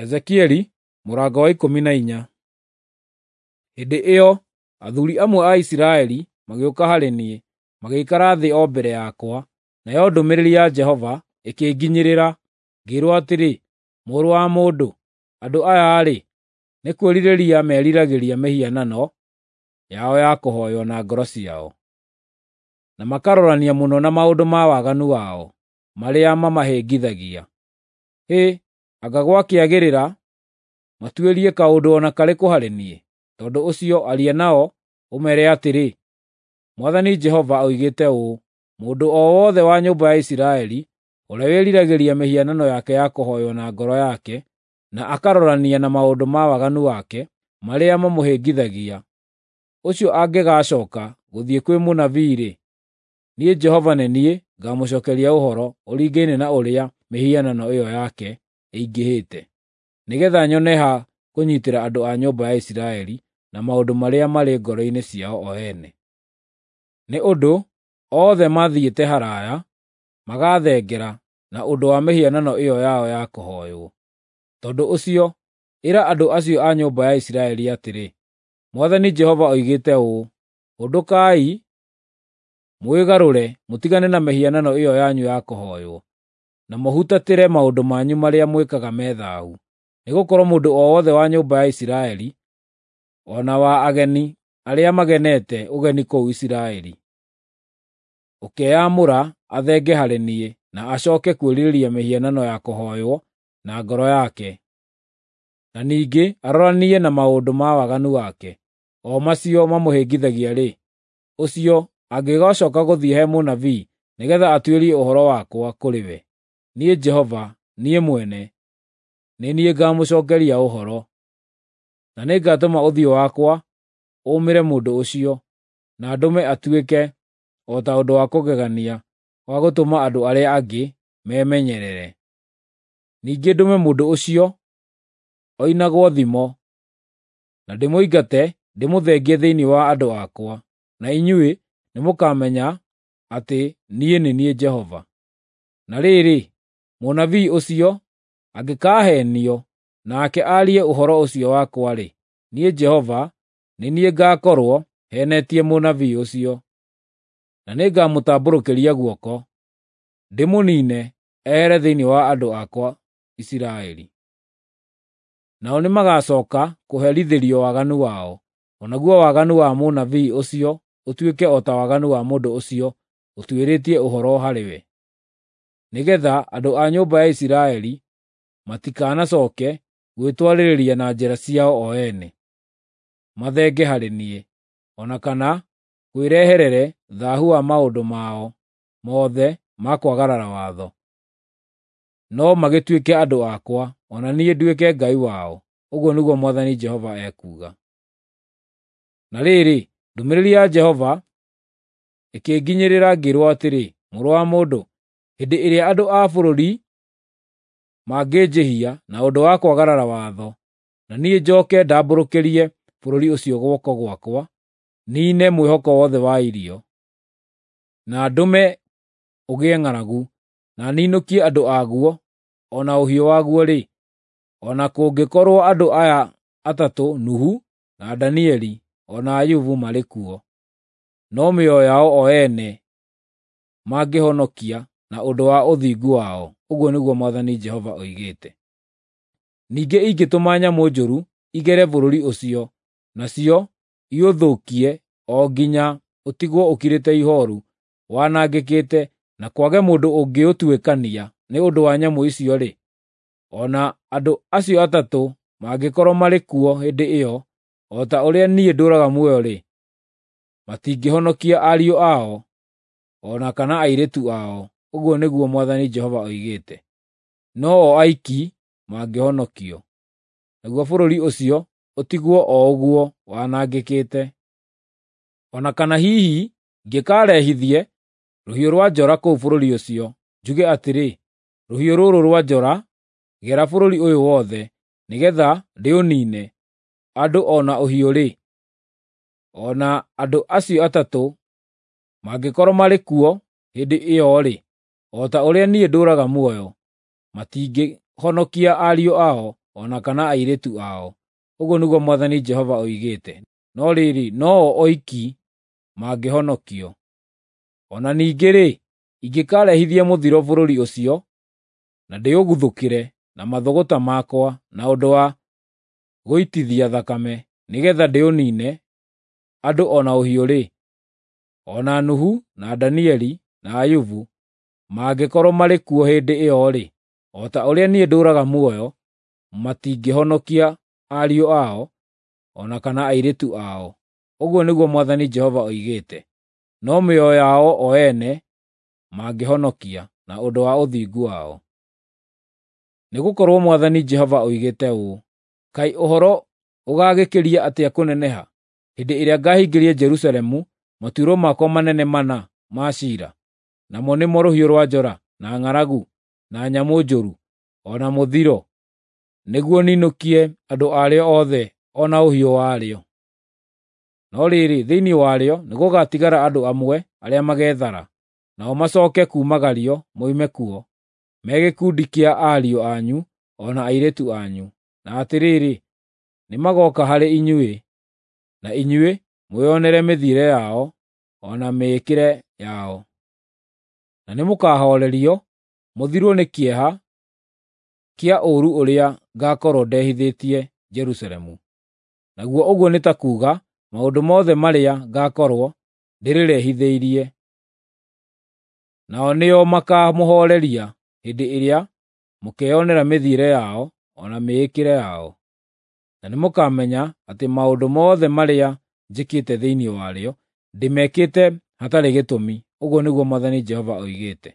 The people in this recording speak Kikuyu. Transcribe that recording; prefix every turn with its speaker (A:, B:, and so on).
A: Ezekieli mũrango wa 14. Hĩndĩ ĩyo athuuri amwe a Isiraeli magĩũka harĩ niĩ, magĩikara thĩ o mbere yakwa, nayo ndũmĩrĩri ya Jehova ĩkĩnginyĩrĩra, ngĩĩrwo atĩrĩ, “Mũrũ wa mũndũ, andũ aya-rĩ, nĩ kwĩrirĩria meriragĩria mĩhianano yao ya kũhooywo na ngoro ciao, na makarorania mũno na maũndũ ma waganu wao marĩa mamahĩngithagia. Hĩ, anga gwakĩagĩrĩra matuĩrie kaũndũ o na karĩkũ harĩ niĩ? Tondũ ũcio aria nao, ũmeere atĩrĩ, Mwathani Jehova oigĩte ũũ: Mũndũ o wothe wa nyũmba ya Isiraeli ũrĩa wĩriragĩria mĩhianano yake ya kũhooywo na ngoro yake, na akarorania na maũndũ ma waganu wake marĩa mamũhĩngithagia, ũcio angĩgaacooka gũthiĩ kwĩ mũnabii-rĩ, niĩ Jehova nĩ niĩ ngaamũcookeria ũhoro ũringaine na ũrĩa mĩhianano ĩyo yake ĩingĩhĩte, nĩgeetha nyone ha kũnyiitĩra andũ a nyũmba ya Isiraeli na maũndũ marĩa marĩ ngoro-inĩ ciao o ene. Nĩ ũndũ othe mathiĩte haraaya, magathengera na ũndũ wa mĩhianano ĩyo yao ya kũhooywo. Tondũ ũcio, ĩra andũ acio a nyũmba ya Isiraeli atĩrĩ, Mwathani Jehova oigĩte ũũ: Hũndũkai, mwĩgarũre mũtigane na mĩhianano ĩyo yanyu ya kũhooywo, na mũhutatĩre maũndũ manyu marĩa mwĩkaga me thaahu. Nĩgũkorwo mũndũ o wothe wa nyũmba ya Isiraeli, o na wa ageni arĩa magenete ũgeni kũu Isiraeli, ũkeyamũra athenge harĩ niĩ na acooke kwĩrirĩria mĩhianano ya kũhooywo na ngoro yake, na ningĩ aroranie na maũndũ ma waganu wake, o macio mamũhĩngithagia-rĩ, ũcio angĩgaacooka gũthiĩ he mũnabii nĩgeetha atuĩrie ũhoro wakwa kũrĩ we, niĩ Jehova, niĩ mwene, nĩ niĩ ngaamũcookeria ũhoro. Na nĩngatũma ũthiũ wakwa ũũmĩre mũndũ ũcio, na ndũme atuĩke o ta ũndũ wa kũgegania wa gũtũma andũ arĩa angĩ memenyerere. Ningĩ ndũme mũndũ ũcio oinagwo thimo, na ndĩmũingate ndĩmũthengie thĩinĩ wa andũ akwa, na inyuĩ nĩmũkamenya atĩ niĩ nĩ niĩ Jehova. Na rĩrĩ, mũnabii ũcio angĩkaaheenio nake aarie ũhoro ũcio wakwa-rĩ, niĩ Jehova nĩ niĩ ngaakorwo heenetie mũnabii ũcio, na nĩngamũtambũrũkĩria guoko, ndĩmũniine ehere thĩinĩ wa andũ akwa Isiraeli. Nao nĩmagacooka kũherithĩrio waganu wao, o naguo waganu wa mũnabii ũcio ũtuĩke o ta waganu wa mũndũ ũcio ũtuĩrĩtie ũhoro harĩ we, nĩgeetha andũ a nyũmba ya Isiraeli matikanacooke gwĩtwarĩrĩria na njĩra ciao o ene, mathenge harĩ niĩ, o na kana kwĩreherere thaahu wa maũndũ mao mothe ma kwagarara watho, no magĩtuĩke andũ akwa, o na niĩ nduĩke Ngai wao, ũguo nĩguo Mwathani Jehova ekuuga. Na rĩrĩ, ndũmĩrĩri ya Jehova ĩkĩnginyĩrĩra ngĩĩrwo atĩrĩ, “Mũrũ wa mũndũ, hĩndĩ ĩrĩa andũ a bũrũri mangĩnjĩhia na ũndũ wa kwagarara watho, na niĩ njooke ndambũrũkĩrie bũrũri ũcio guoko gwakwa, niine mwĩhoko wothe wa irio, na ndũme ũgĩe ng'aragu, na ninũkie andũ aguo o na ũhiũ waguo-rĩ, o na kũngĩkorwo andũ aya atatũ Nuhu, na Danieli, o na Ayubu marĩ kuo, no mĩoyo yao o ene mangĩhonokia na ũndũ wa ũthingu wao, ũguo nĩguo Mwathani Jehova oigĩte. Ningĩ ingĩtũma nyamũ njũru igere bũrũri ũcio, nacio iũthũkie o nginya ũtigwo ũkirĩte ihooru, wanangĩkĩte, na kwage mũndũ ũngĩũtuĩkania nĩ ũndũ wa nyamũ icio-rĩ, o na andũ acio atatũ mangĩkorwo marĩ kuo hĩndĩ ĩyo, o ta ũrĩa niĩ ndũũraga muoyo-rĩ, matingĩhonokia ariũ ao o na kana airĩtu ao, ũguo nĩguo Mwathani Jehova oigĩte. No o aiki mangĩhonokio, naguo bũrũri ũcio ũtigwo o ũguo wanangĩkĩte. O na kana hihi ingĩkarehithie rũhiũ rwa njora kũu bũrũri ũcio, njuge atĩrĩ, ‘Rũhiũ rũrũ rwa njora, gera bũrũri ũyũ wothe, nĩgeetha ndĩũniine, andũ o na ũhiũ-rĩ,’ o na andũ acio atatũ mangĩkorwo marĩ kuo hĩndĩ ĩyo-rĩ, o ta ũrĩa niĩ ndũũraga muoyo, matingĩhonokia ariũ ao o na kana airĩtu ao, ũguo nĩguo Mwathani Jehova oigĩte. No rĩrĩ, no-o oiki mangĩhonokio. O na ningĩ-rĩ, ingĩkarehithia mũthiro bũrũri ũcio, na ndĩũguthũkĩre na mathũgũta makwa na ũndũ wa gũitithia thakame, nĩgeetha ndĩũniine, andũ o na ũhiũ-rĩ, o na Nuhu, na Danieli, na Ayubu mangĩkorwo marĩ kuo hĩndĩ ĩyo-rĩ, o ta ũrĩa niĩ ndũũraga muoyo, matingĩhonokia ariũ ao o na kana airĩtu ao, ũguo nĩguo Mwathani Jehova oigĩte. No mĩoyo yao o ene mangĩhonokia na ũndũ wa ũthingu wao. Nĩgũkorwo Mwathani Jehova oigĩte ũũ: Kaĩ ũhoro ũgaagĩkĩria atĩa kũneneha hĩndĩ ĩrĩa ngaahingĩria Jerusalemu matuĩro makwa manene mana ma ciira, namo nĩmo rũhiũ rwa njora, na ng'aragu, na nyamũ njũru, o na mũthiro, nĩguo ninũkie andũ arĩo othe o na ũhiũ warĩo. No rĩrĩ, thĩinĩ warĩo nĩgũgatigara andũ amwe arĩa mageethara, nao macooke kuumagario moime kuo, me gĩkundi kĩa ariũ anyu o na airĩtu anyu. Na atĩrĩrĩ, nĩmagooka harĩ inyuĩ, na inyuĩ mwĩonere mĩthiĩre yao o na mĩĩkĩre yao. Na nĩmũkahoorerio mũthirwo nĩ kĩeha kĩa ũũru ũrĩa ngaakorwo ndehithĩtie Jerusalemu. Naguo ũguo nĩ ta kuuga maũndũ mothe marĩa ngaakorwo ndĩrĩrehithĩirie. Nao nĩo makaamũhooreria hĩndĩ ĩrĩa mũkeonera mĩthiĩre yao o na mĩĩkĩre yao. Na nĩmũkamenya atĩ maũndũ mothe marĩa njĩkĩte thĩinĩ warĩo, ndĩmekĩte hatarĩ gĩtũmi, ũguo nĩguo Mwathani Jehova oigĩte.